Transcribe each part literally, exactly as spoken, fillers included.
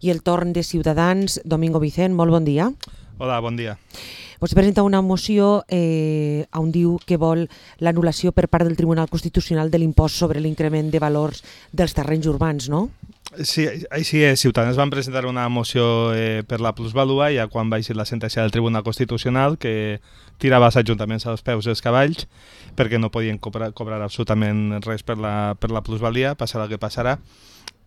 i el torn de Ciutadans. Domingo Vicent, molt bon dia. Hola, bon dia. Vostè presenta una moció eh, on diu que vol l'anul·lació per part del Tribunal Constitucional de l'impost sobre l'increment de valors dels terrenys urbans, no? Sí, així és. Ciutadans van presentar una moció eh, per la plusvalua ja quan va eixir la sentència del Tribunal Constitucional que tirava els ajuntaments als peus dels cavalls perquè no podien cobrar, cobrar absolutament res per la, per la plusvalia, passarà el que passarà.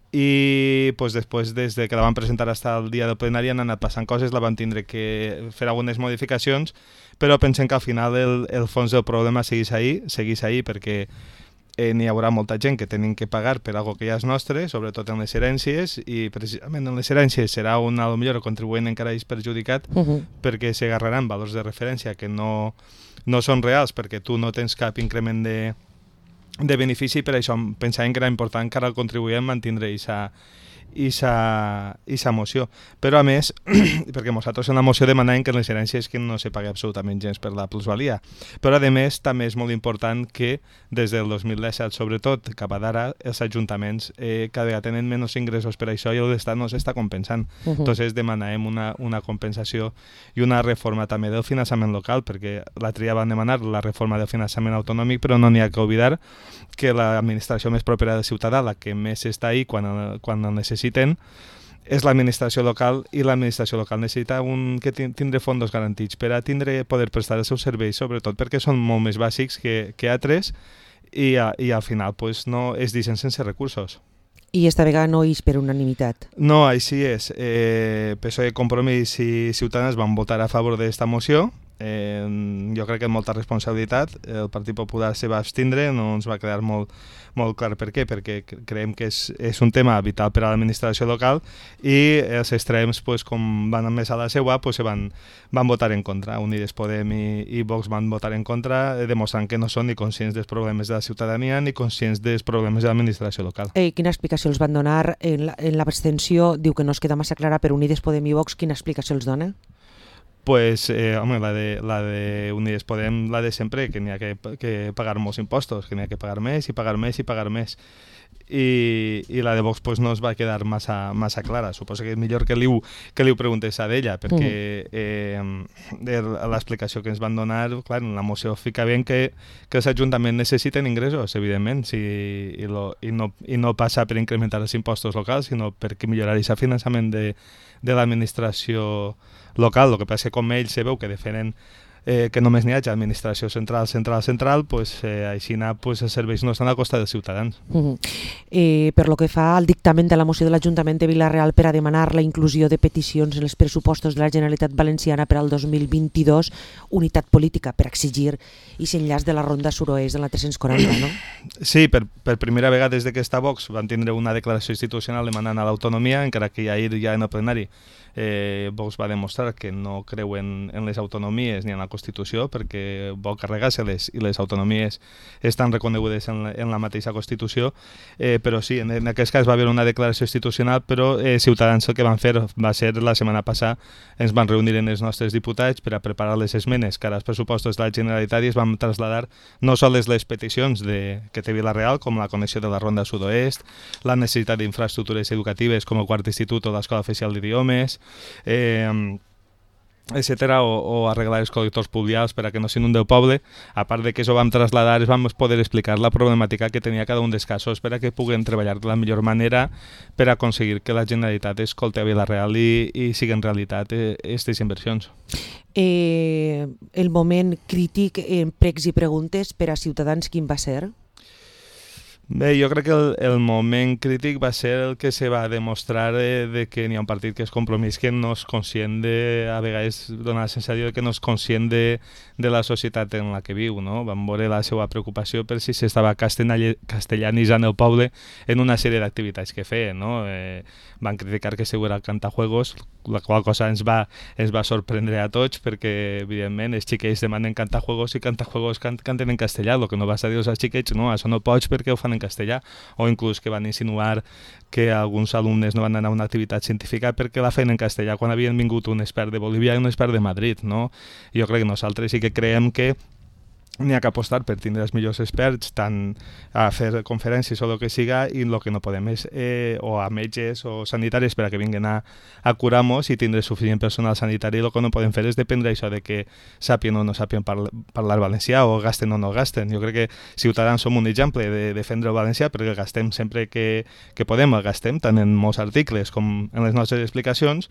I pues, després, des de que la van presentar fins al dia del plenari, han anat passant coses, la van tindre que fer algunes modificacions, però pensem que al final el, el fons del problema segueix ahí, segueix ahí perquè eh, n'hi haurà molta gent que tenen que pagar per algo que ja és nostre, sobretot en les herències, i precisament en les herències serà un, a lo millor, el contribuent encara és perjudicat uh-huh. perquè s'agarraran valors de referència que no, no són reals perquè tu no tens cap increment de de benefici, per això pensàvem que era important que ara el contribuent mantindre aquesta moció. Però a més, perquè nosaltres en la moció demanàvem que en les herències que no se pagui absolutament gens per la plusvalia, però a més també és molt important que des del dos mil disset, sobretot cap a d'ara, els ajuntaments eh, cada vegada tenen menys ingressos per això i l'Estat no s'està compensant. Uh -huh. Entonces demanàvem una, una compensació i una reforma també del finançament local, perquè l'altre dia van demanar la reforma del finançament autonòmic, però no n'hi ha que oblidar que l'administració més propera del ciutadà, la que més està ahí quan, quan el necessiten, és l'administració local, i l'administració local necessita un, que tindre fondos garantits per a tindre, poder prestar els seus serveis, sobretot perquè són molt més bàsics que, que altres, i, a, i al final pues, no es deixen sense recursos. I esta vegada no és per unanimitat. No, així és. Eh, P S O E, Compromís i Ciutadans van votar a favor d'esta moció. Eh, jo crec que amb molta responsabilitat. El Partit Popular se va abstindre, no ens va quedar molt, molt clar per què, perquè creiem que és, és un tema vital per a l'administració local i els extrems, pues, com van més a la seua, pues, se van, van votar en contra. Unides Podem i, i Vox van votar en contra, demostrant que no són ni conscients dels problemes de la ciutadania ni conscients dels problemes de l'administració local. Eh, quina explicació els van donar? En l'abstenció diu que no es queda massa clara, per Unides Podem i Vox, quina explicació els dona? Pues, eh, home, la de, la de Unides Podem, la de sempre, que n'hi ha que, que pagar molts impostos, que n'hi ha que pagar més i pagar més i pagar més. I, i la de Vox pues, no es va quedar massa, massa clara. Suposo que és millor que li ho, que li ho preguntés a d'ella, perquè eh, l'explicació que ens van donar, clar, en la moció fica bé que, que els ajuntaments necessiten ingressos, evidentment, si, i, lo, i, no, i no passa per incrementar els impostos locals, sinó perquè millorar aquest finançament de, de l'administració local. El que passa que com ells se veu que defenen eh, que només n'hi hagi administració central, central, central, pues, eh, així pues, els serveis no estan a costa dels ciutadans. Uh -huh. eh, per lo que fa al dictamen de la moció de l'Ajuntament de Vila-real per a demanar la inclusió de peticions en els pressupostos de la Generalitat Valenciana per al dos mil vint-i-dos, unitat política per exigir i s'enllaç de la ronda suroest de la tres-cents quaranta, no? Sí, per, per primera vegada des que està Vox van tindre una declaració institucional demanant a l'autonomia, encara que ahir ja en el plenari Eh, Vox va demostrar que no creuen en les autonomies ni en la Constitució perquè vol carregar-se-les i les autonomies estan reconegudes en la, en la mateixa Constitució, eh, però sí, en, en aquest cas va haver una declaració institucional, però eh, Ciutadans el que van fer va ser la setmana passada, ens van reunir en els nostres diputats per a preparar les esmenes que ara els pressupostos de la Generalitat i es van traslladar no sols les peticions de, que té Vila-real, com la connexió de la Ronda Sud-oest, la necessitat d'infraestructures educatives com el quart institut o l'Escola Oficial d'Idiomes, Eh, etcètera, o, o arreglar els col·lectors pluvials per a que no s'inunde el poble. A part de que això vam traslladar, vam poder explicar la problemàtica que tenia cada un dels casos per a que puguen treballar de la millor manera per a aconseguir que la Generalitat escolti a Vila-real i, i siguin realitat aquestes inversions. Eh, el moment crític en pregs i preguntes per a Ciutadans, quin va ser? Bé, jo crec que el, el moment crític va ser el que se va demostrar de, de que n'hi ha un partit que és Compromís que no és conscient de, a vegades dona la sensació que no és conscient de, de la societat en la que viu, no? Vam veure la seva preocupació per si s'estava castellanitzant el poble en una sèrie d'activitats que feien, no? Eh, van criticar que segur era cantajuegos, la qual cosa ens va, ens va sorprendre a tots perquè, evidentment, els xiquets demanen cantajuegos i cantajuegos can, canten en castellà, el que no vas a dir als xiquets, no, això no pots perquè ho fan en castellà, o inclús que van insinuar que alguns alumnes no van anar a una activitat científica perquè la feien en castellà quan havien vingut un expert de Bolívia i un expert de Madrid, no? Jo crec que nosaltres sí que creiem que n'hi ha que apostar per tindre els millors experts, tant a fer conferències o el que siga, i el que no podem és, eh, o a metges o sanitaris per a que vinguin a, a curar-nos i tindre suficient personal sanitari. El que no podem fer és dependre això de que sàpien o no sàpien parlar, parlar valencià, o gasten o no gasten. Jo crec que Ciutadans som un exemple de defendre el valencià, perquè el gastem sempre que, que podem, el gastem tant en molts articles com en les nostres explicacions,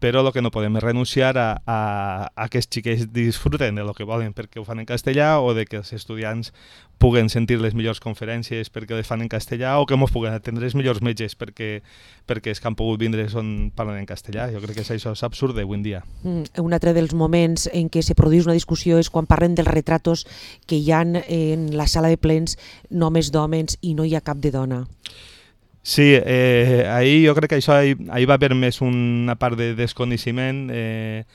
però el que no podem és renunciar a, a, a que els xiquets disfruten de lo que volen perquè ho fan en castellà, o de que els estudiants puguen sentir les millors conferències perquè les fan en castellà, o que ens puguen atendre els millors metges perquè, perquè els que han pogut vindre són parlant en castellà. Jo crec que això és absurd avui en dia. Mm, un altre dels moments en què se produeix una discussió és quan parlen dels retratos que hi ha en la sala de plens només d'homes i no hi ha cap de dona. Sí, eh, ahir jo crec que això ahir, ahir va haver més una part de desconeixement, eh,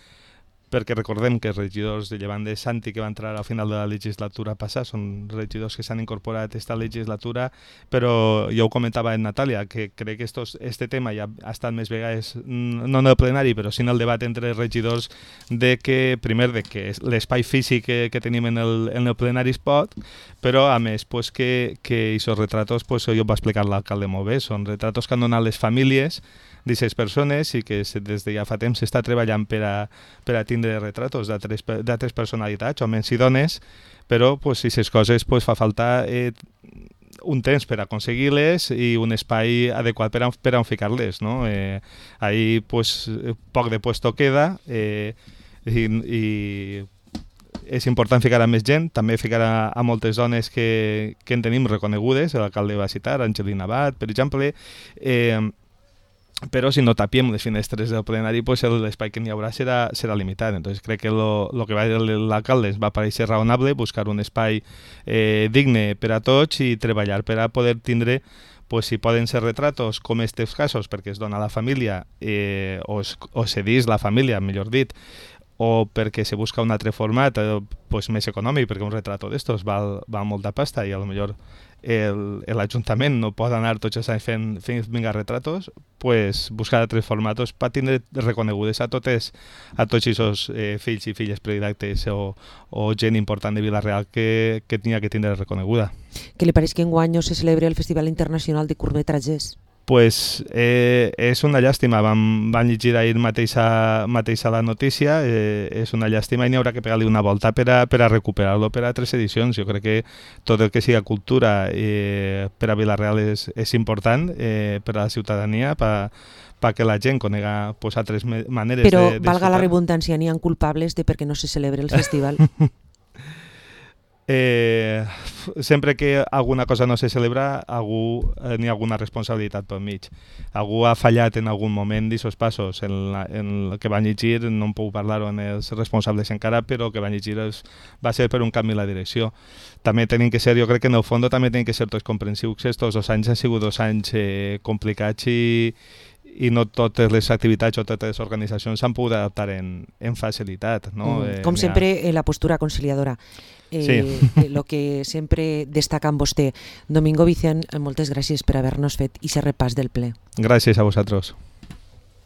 perquè recordem que els regidors de Llevant de Santi, que va entrar al final de la legislatura passada, són regidors que s'han incorporat a aquesta legislatura, però jo ho comentava en Natàlia, que crec que estos, este tema ja ha estat més vegades, no en el plenari, però sí en el debat entre els regidors, de que, primer, de que l'espai físic que, que tenim en el, en el plenari es pot, però a més pues, que, que aquests retratos, pues, jo ho va explicar l'alcalde molt bé, són retratos que han donat les famílies d'aquestes persones i que des de ja fa temps s'està treballant per a, per a tindre retratos d'altres personalitats, homes i dones, però pues, aquestes coses pues, fa falta eh, un temps per aconseguir-les i un espai adequat per a, per a ficar-les. No? Eh, ahí pues, poc de puesto queda eh, i, i és important ficar a més gent, també ficar a, a moltes dones que, que en tenim reconegudes, l'alcalde va citar, Angelina Abad, per exemple, eh, però si no tapiem les finestres del plenari, pues l'espai que n'hi haurà serà, serà limitat. Entonces crec que el que va dir l'alcalde ens va parèixer raonable, buscar un espai eh, digne per a tots i treballar per a poder tindre, pues, si poden ser retratos com aquests casos, perquè es dona a la família eh, o, es, o cedís la família, millor dit, o perquè se busca un altre format eh, pues, més econòmic, perquè un retrato d'estos val, val molta pasta i a lo millor l'Ajuntament no pot anar tots els anys fent, fent vinga retratos, pues, buscar altres formats per tindre reconegudes a totes a tots aquests eh, fills i filles predilectes o, o gent important de Vila-real que, que tenia que tindre reconeguda. Què li pareix que enguany no se celebra el Festival Internacional de Curtmetratges? Pues eh, és una llàstima, vam, vam llegir ahir mateixa, mateixa la notícia, eh, és una llàstima i n'hi haurà que pegar-li una volta per a, per a recuperar-lo per a tres edicions. Jo crec que tot el que siga cultura eh, per a Vila-real és, és important eh, per a la ciutadania, per perquè la gent conega pues, altres maneres Però, de... Però, valga la redundància, n'hi ha culpables de perquè no se celebra el festival. Eh, sempre que alguna cosa no se celebra, algú eh, n'hi ha alguna responsabilitat pel mig. Algú ha fallat en algun moment d'aquests passos. En, la, en el que van llegir, no en puc parlar-ho en els responsables encara, però el que van llegir es, va ser per un canvi en la direcció. També tenim que ser, jo crec que en el fons també tenim que ser tots comprensius. Estos dos anys han sigut dos anys eh, complicats i i no totes les activitats o totes les organitzacions s'han pogut adaptar en, en facilitat. No? Mm, com eh, sempre, ha... la postura conciliadora. Eh, sí. Lo que sempre destaca en vostè. Domingo Vicent, moltes gràcies per haver-nos fet i ser repàs del ple. Gràcies a vosaltres.